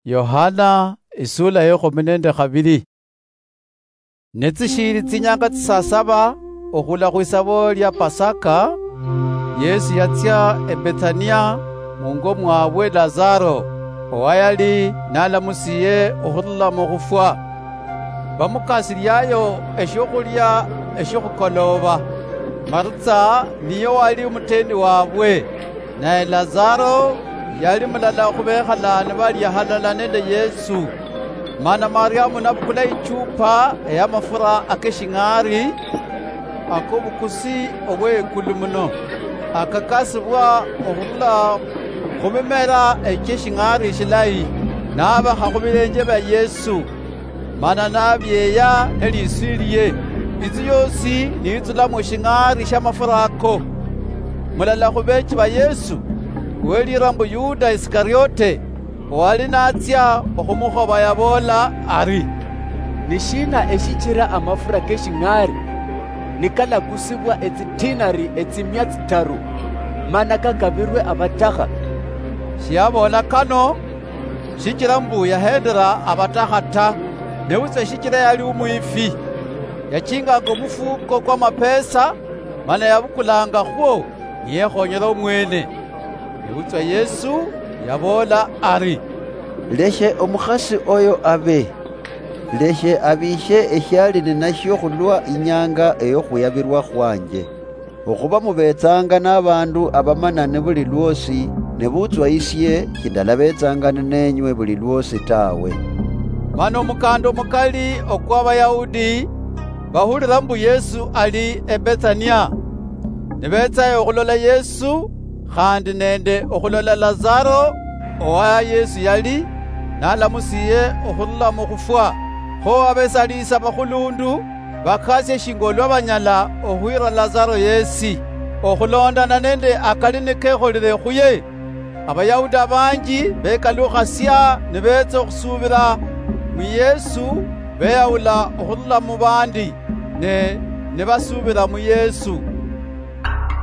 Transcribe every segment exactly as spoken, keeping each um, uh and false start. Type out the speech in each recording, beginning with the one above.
Yohana, isula ya ekhumi nende khabili. Ne tsishiili tsinyanga tsisa saba okhula khwisabo lia Pasaka, Yesu yatsia eBethania mungo mwabwe Lazaro, owayali nalamusiye okhurula mukhufwa. Bamukasiliayo eshiokhulia eshiokhukolooba. Maritsa niye wali omuteni wabwe, naye Lazaro yali mulala khubekhala nibalia halala nende Yesu. Mana Mariamu nabukula ichupa eyamafura akeshing'ari akobukusi obwekulu muno, akakasibwa okhurula khumimera echieshing'ari eshilayi, nabakha khubilenje bia Yesu. Mana nabyeeya neliswi lie, inzu yosi niyitsulamo eshing'ari shiamafura ako. Mulala khubeechi ba Yesu, uwelira mbu Yuda Isikariote, owali natsia okhumukhoba, yaboola ari, "Nishina eshichira amafura keshing'ari nikalakusibwa etsidinari etsimia tsitaru, mana kakabirwe abatakha?" Shiyaboola kano shichira mbu yahendera abatakha ta, nebutswa shichira yali umwifi. Yachinganga omufuko kwa mapesa, mana yabukulanga khwo niyekhonyera omwene. Nebutswa Yesu yaboola ari, "Leshe omukhasi oyo abe. Leshe abishe eshiali ninashio khulwa inyanga eyokhuyabirwa khwanje. Okhuba mubetsanga nabandu abamanani buli lwosi, nebutswa isie shindalabetsanga ninenywe buli lwosi tawe." Mana omukanda omukali okwa Abayahudi bahulira mbu Yesu ali eBethania, nibetsayo okhulola Yesu, khandi nende okhulola Lazaro, owa Yesu yali nalamusiye okhurula mukhufwa. Kho abesalisa bakhulundu bakasia shinga olwa banyala okhwira Lazaro yesi, okhulondana nende akali nikekholire khuye. Abayahudi abanji bekalukhasia nibetsa okhusubira mu Yesu, beyawula okhurula mu bandi, ne nibasubira mu Yesu.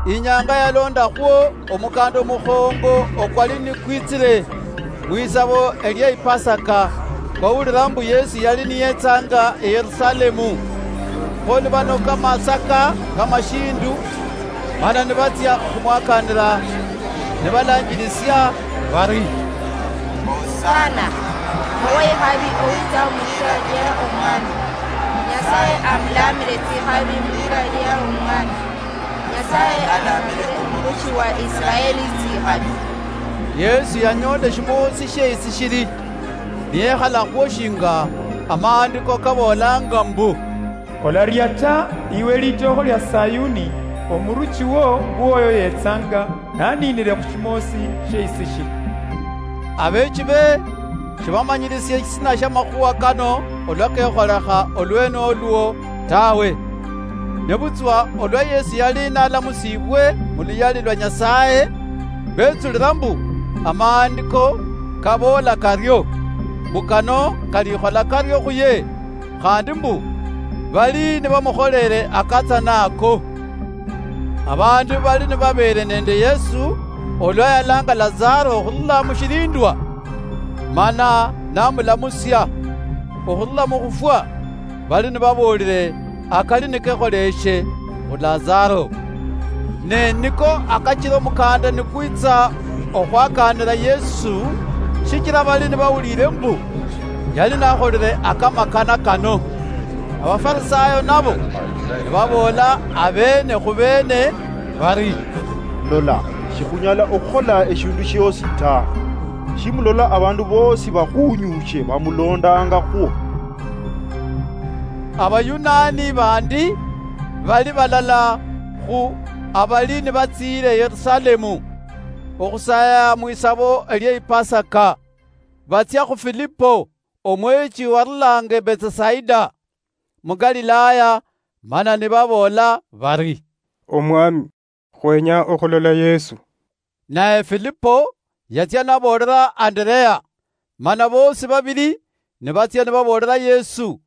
Inyanga yalondakhwo omukanda omukhongo okwali nikwitsire khwisabo elie Ipasaka, kwawulira mbu Yesu yali niyetsanga eYerusalemu. Kho nibanoka amasaka kamashindu, mana nibatsia okhumwakanira, nibalanjilisia bari, "Hosana! Owe ikhabi owitsa mulira lia Omwami! Nyasaye amulamire tsikhabi mulira lia Omwami! Nyasaye alamire omuruchi wa Israeli tsikhabi!" Yesu yanyola eshimoosi shie isishili, niyekhalakho shinga amaandiko kaboolanga mbu, "Olaria ta, iwe litookho lia Sayuni, omuruchi wo ngwoyo yetsanga, naniinire khu shimoosi shie isishili." Abeechibe shibamanyirisie eshisina shia makhuwa kano olwa kekholekha olwene olwo tawe. Nebutswa olwa Yesu yali nalamusibwe mu luyali lwa Nyasaye, betsulira mbu amaandiko kaboola kario, mbu kano kalikhola kario khuye, khandi mbu bali nibamukholere akatsana ako. Abandu bali nibabeere nende Yesu olwa yalanga Lazaro okhurula mushilindwa, mana namulamusia okhurula mukhufwa, bali nibaboolire akali nikekholeshe khu Lazaro. Ne niko akachira omukanda nikwitsa okhwakaanira Yesu, shichira bali nibawulire mbu yali nakholire akamakana kano. Abafarisayo nabo nibaboola abeene khu beene bari, "Lola, shikhunyala okhukhola eshindu shiosi ta. Shimulola abandu boosi bakhunyushe bamulondangakhwo?" Abayunani bandi bali balala khu abali nibatsiire Yerusalemu okhusaya mwisabo elie Ipasaka, batsia khu Filipo, omweechi warulanga Betsasaida mu Galilaya, mana nibaboola bari, "Omwami, khwenya okhulola Yesu." Naye Filipo yatsia naboolera Anderea, mana boosi babili nibatsia nibaboolera Yesu.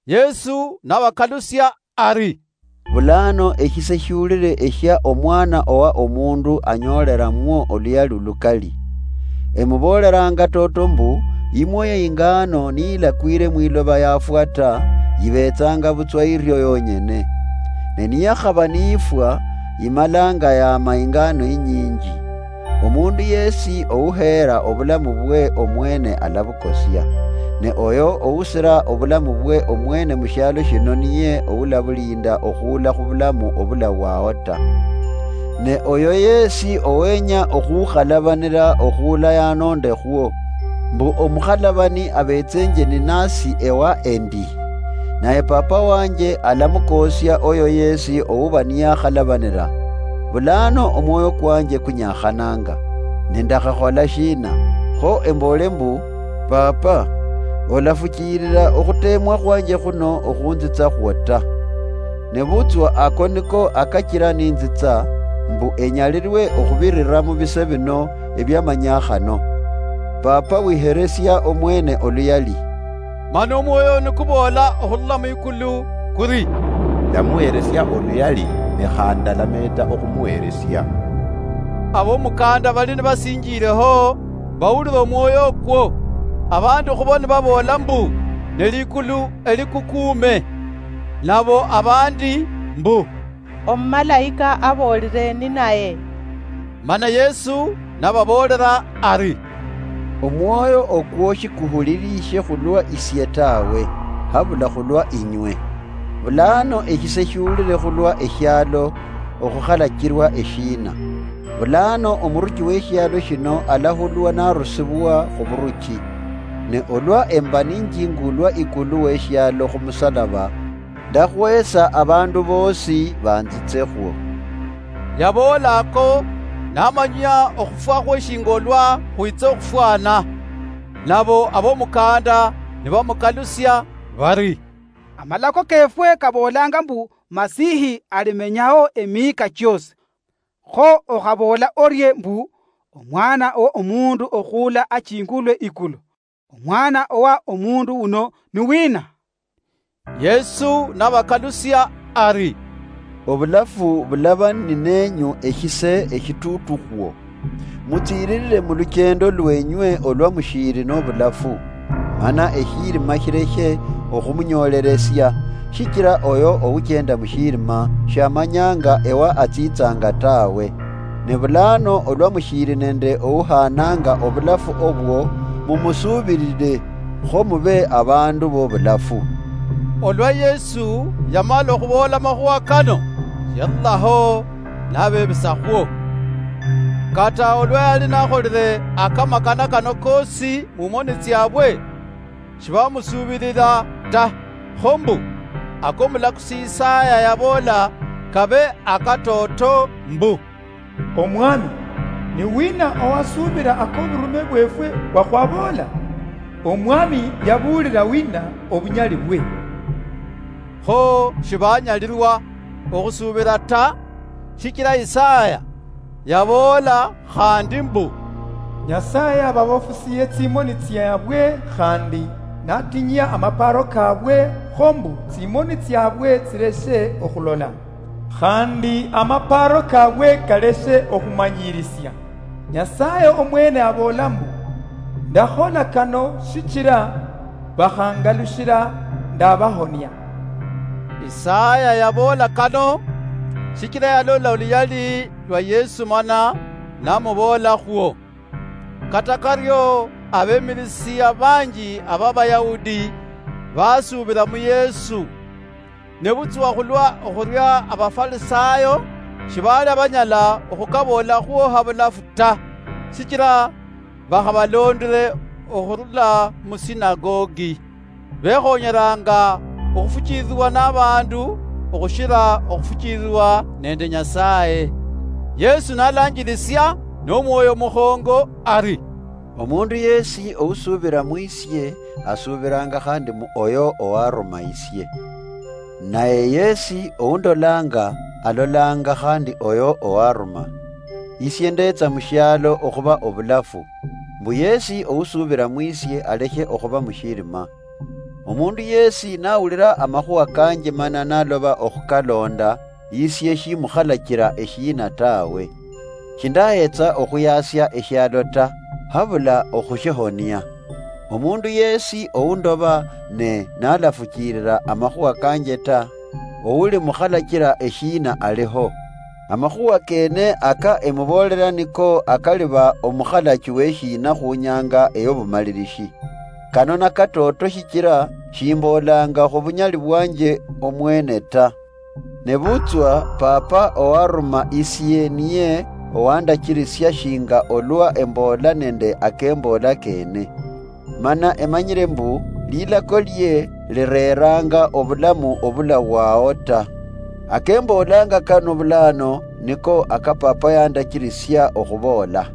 Yesu nabakalusia ari, "Bulano eshise shiulire eshia Omwana owa Omundu anyooleramwo oluyalu lukali. Emubooleranga toto mbu, Imwoyo ingano niyilakwire mwiloba yafwa ta, yibeetsanga butswa irio yonyene. Ne niyakhaba niyifwa, yimalanga yaama ingano inyinji. Omundu yesi ouheera obulamu bwe omwene alabukosia, ne oyo ousira obulamu bwe omwene mushialo shino niye oulabulinda okhuula khubulamu obulawao ta. Ne oyo yesi owenya okhukhalabanira okhuula yanondekhwo, mbu omukhalabani abetsenje ninasi ewa endi. Naye Papa wanje alamukoosia oyo yesi ouba niyakhalabanira. Bulano omwoyo kwanje kunyakhananga, ne ndakhakhola shina? Kho emboole mbu, Papa, olafuchilila okhutemwa khwanje khuno okhunzitsakhwo ta. Nebutswa ako niko akachila ninzitsa, mbu enyalilwe okhubirira mubise bino ebiamanyakhano. Papa wiheresia omwene oluyali. Mana omwoyo nikuboola okhurula mwikulu kuri, ndamuheresia oluyali, ne khandi ndalameeta okhumuheresia. Abomukanda bali nibasinjiireho, bawulira omwoyo okwo, abandi khubo nibaboola mbu, ne likulu elikukuume, nabo abandi mbu, omumalaika aboolire ninaye. Mana Yesu nababoolera ari, omwoyo okwo shikuhuliriishe khulwa isie tawe, habula khulwa inywe. Bulano eshise shiulire khulwa eshialo okhukhalachirwa eshiina? Bulano omuruchi weshialo shino alahulwa narusibwa khuburuchi. Ne olwa emba ninjingulwa ikulu weshialo khumusalaba, ndakhwesa abandu boosi banzitsekhwo. Yaboola ako, namanyia okhufwa khwe shinga olwa khwitsa okhufwana. Nabo abomukanda nibamukalusia bari, amalako kefwe kaboolanga mbu Masihi alimenyaho emiika chiosi. Kho okhaboola orie mbu, Omwana wo Omundu okhuula achingulwe ikulu? Omwana owa Omundu uno ni wina? Yesu nabakalusia ari, obulafu bulaba ninenyu eshise eshitutukhwo. Mutsiililile muluchendo lwenywe olwa mushiili nobulafu, mana eshiilima shileshe okhumunyooleresia, shichila oyo ouchenda mushiilima shamanyanga ewa atsitsanga tawe. Ne bulano olwa mushiili nende ouhaananga obulafu obwo, mumusuubilile, kho mube abandu bobulafu. Olwa Yesu yamala okhuboola amakhuwa kano, yarulaho nabebisakhwo. Kata olwa yali nakholile akamakana kano koosi mumoni tsiabwe, shibamusuubilila ta, kho mbu, akomulakusi Isaya yaboola kabe akatooto mbu, Omwami, ni wina owasuubila akoburume bweefwe bwakhwaboola? Omwami yabuulila wina obunyali bwe? Kho shibanyalilwa okhusuubila ta, shichila Isaya yaboola khandi mbu, Nyasaye ababofusiye tsimoni tsiabwe khandi natinyia amapaaro kaabwe, kho mbu tsimoni tsiabwe tsileshe okhulola. Khandi amapaaro kabwe kaleshe okhumanyirisia. Nyasaye omwene aboola mbu, ndakhola kano shichira bakhangalushila ndabahonia. Isaya yaboola kano, shichira yalola oluyali lwa Yesu mana namuboolakhwo. Kata kario abemilisia banji aba Bayahudi basuubila mu Yesu. Nebutswa khulwa okhuria Abafarisayo, shibaali banyala okhukaboolakhwo habulafu ta, shichila bakhabalondile okhurula mu sinagogi. Bekhonyelanga okhufuchililwa nabandu okhushila okhufuchililwa nende Nyasaye. Yesu nalanjilisia nomwoyo mukhongo ari, omundu yesi ousubila mwisie, asuubilanga khandi mu oyo owaruma isie. Naye yesi oundolanga, alolanga khandi oyo owaruma. Isie ndetsa mushialo okhuba obulafu, mbu yesi ousuubila mwisie alekhe okhuba mushilima. Omundu yesi nawulila amakhuwa kanje mana naloba okhukalonda, isie shimukhalachila eshiina tawe. Shindahetsa okhuyasia eshialo ta, habula okhushihonia. Omundu yeesi oundoba ne n'alafukiirira amakhuwa kanje ta, oulimukhalachira eshiina aliho. Amakhuwa keene aka emuboolera niko akaliba omukhalachi w'eshiina khu nyaanga ey'obumalirishi. Kano nakatooto shichira shimboolanga khubunyali bwanje omwene ta. Nebutswa Papa owaruma isie niye owandachirisia shinga olwa emboola nende akemboola keene. Mana emanyire mbu lilako lie lireeranga obulamu obulawao ta. Akemboolanga kano bulaano niko aka Papa yandachirisia okhuboola.